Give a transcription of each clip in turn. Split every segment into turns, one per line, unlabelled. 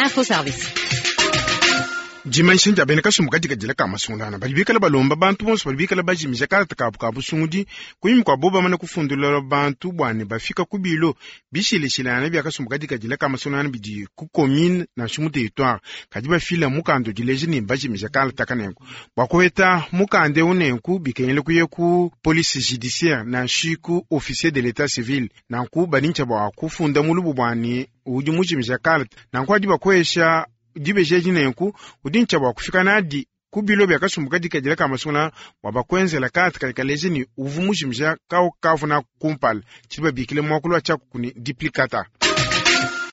Info Service.
Dimanyisha dia bena kasumbu kadikadila ka masungulangana badi bikale balomba bantu bonso badi bikale bajimija kalata kabu ka busungudi kunyima kua bobu bamane kufundulula bantu bua ne bafika ku bilo bishilashilangane bia kasumbu kadikadila ka masungulangana bidi ku commune nansha mu territoire kadi bafila mukanda udileja ne bajimija kalata kanenku bua kuheta mukanda eu nenku bikengela kuya ku police judiciaire nansha ku officier de l'etat civil nanku badintsha bua kufunda mulubu bua ne udi mujimija kalata nanku adi bakuesha dibeji edi nenku udi ntshia bua kufika nadi ku bilo bia kasumbu kadikadila ka masungula bua bakuenzela kalata kadi kaleja ne uvu mujimija kawu kavuna kumpala tshidi babikile muakulu wa tshiakuku ne duplicata.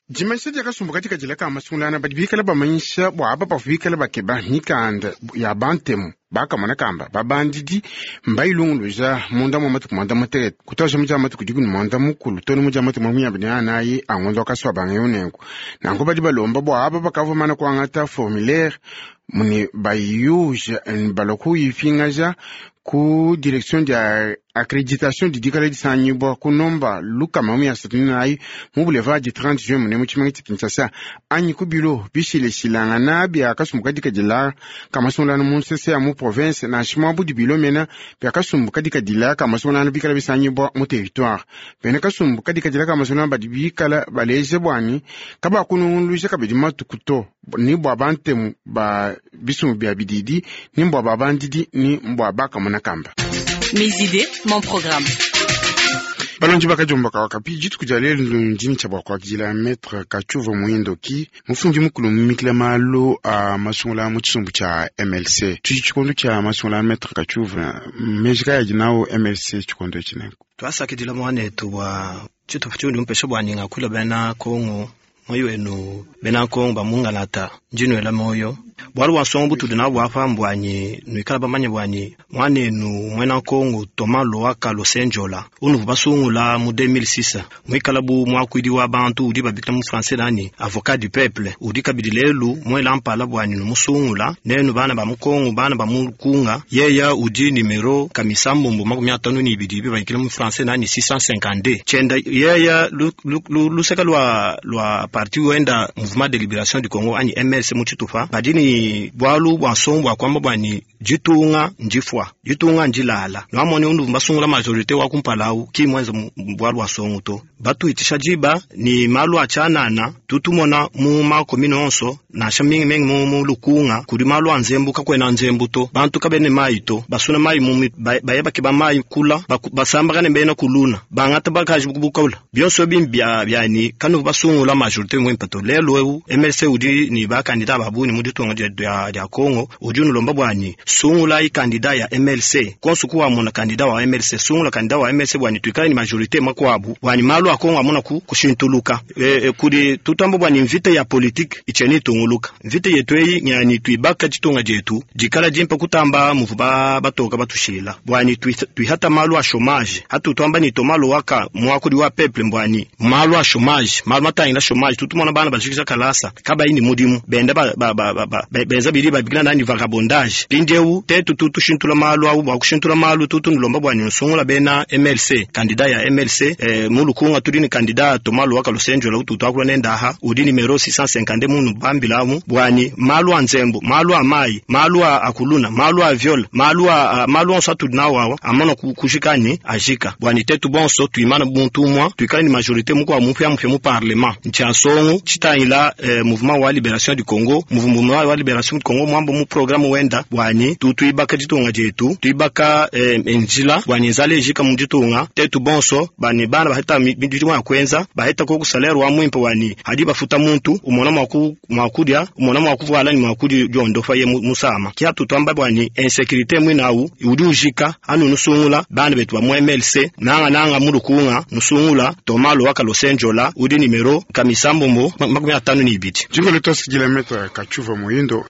Dimanyisha dia kasumbu kadikadila ka masungulangana badi bikale bamanyisha bua aba bavua bikale bakeba mikanda ya bantemu bakamona kamba babandidi mbayilunguluja munda mua matuku muanda mutekete kutuaja mu dia matuku dikumi ne muanda mukulu to ne mu dia matuku makumi abidi ne anayi a ngondo wa kasuabanga eu nenku nanku badi balomba bua aba bakavua mana kuangata formulaire mune bayuja balua kuyipingaja ku direction dia accreditation didikala disangibua ku nomba lukama mu ya satuni nayi mu boulevard du 30 juin mune mu tshimenga tshia Kinshasa anyi ku bilo bishilashilangana bia kasumbu kadikadila ka masungulano mu nsese ya mu province nansha muabudi bilo mena bia kasumbu kadikadila ka masungulano bikala bisangibua mu territoire bena kasumbu kadikadila ka masungulano badi bikala baleja buani kabakununguluja kabidi matuku to ni bua bantemu ba bisumbu bia bididi ni mbua babandidi ni mbua bakamona kamba.
Mes idées, mon programme.
Balonji bakajomba kawakapi dituku dia lelu ndini tshia bua kuakidila maître Katshuva Muindoki mufundi mukulu mumikila malu a masungula mu tshisumbu tshia MLC tudi tshikondo tshia masungula maître Katshuva meji kaya adi nawo MLC tshikondo etshi nenku
twasakidila mwanetu bua tshitupa tshiudi mupesha bua ninga bena Kongo moyo wenu bena Kongo bamungalata njinwela moyo bwalu bwa nsongo butudi nabo bwapa mbwanyi nwikala bamanye bwanyi mwanenu mwena Kongo Thomas Luhaka Losenjola unuvu basungula mu 2006 mwikala bu mwakuidi wa bantu udi babikila mu français nani avocat du peuple udi kabidi lelu mwela mpala bwanyi numusungula nenu bana ba mukongo bana ba mukunga yeya udi numero kamisambombo 52 bibakila mu français nani 652 chenda yeya luseka lwa lwa parti wenda mouvement de libération du Congo anyi MLC mu tshitupa badi ni bwalu bwa nsongo bwa kwamba bwani ditunga ndifwa ditunga ndilala nwamone undu basungula majorité wa kumpala ki mwenza bwalu bwa nsongo to batuitisha diba ni malu achanana tutumona mu makomine onso nansha mingi mingi mu, mu lukunga kudi malu a nzembu kakwena nzembu to bantu kabene mai to basuna mai mu baye bakeba mai kula basambakane bena kuluna bangata bakaji bukula bionso bimbi bya byani kanu basungula majorité mwimpa to lelo eu MLC udi ni ba candidat babuni mu ditunga dia dia Congo udi nulomba bwani sungula i candidat ya MLC konsu kuwa mona candidat wa MLC sungula candidat wa MLC bwani tuikale ni majorité makwabu bwani malu a Congo amona ku kushintuluka e, e, kudi tutambo bwani mvita ya politique icheni tunguluka mvita yetu eyi nyani tuibaka ditunga dietu dikala dimpa kutamba muvu ba batoka batushila bwani tuihata malu a chômage hatu twamba ni Thomas Luhaka mwakudi wa peuple mbwani malu a chômage malu matangila chômage tutumona bana bajikija kalasa kabayi ni mudimu benda ba, ba, ba, ba, ba, benza bili babikila nani vagabondage pindiewu tetu tutushintula malu au bwa kushintula malu tutu nulomba bwani nusungula bena MLC candidat ya MLC eh, mulukunga tudi ni candidat Thomas Luhaka Lusenjola ututu nendaha udi numero 650 munu bambilamu bwani malu a nzembo malu a mai malu a akuluna malu a viol malu a malu onso atudi nawo awa amana kujikani ajika bwani tetu bonso tuimana buntu mwa tuikale ni majorité mukwa mupya mupya mu parlement ncha songo chitangila eh, mouvement wa libération du Congo mouvement wa libération du Congo mwambo mu programme wenda bwani tutuibaka ditunga dietu tuibaka eh, njila bwani nzala ejika mu ditunga tetu bonso bani bana baheta midimu ya kwenza baheta ko salaire wa mwimpa wani hadi bafuta muntu umona mwaku mwakudia umona mwakuvala ni mwakudi jondofa ye musama kia tutwamba bwani insécurité mwinawu udi ujika anu nusungula bana betu ba mu MLC nanga nanga mulukunga nusungula Thomas Luhaka Losenjola udi numero kamisambombo 52.
Jingolo tosikila maître Katshuva Muindo.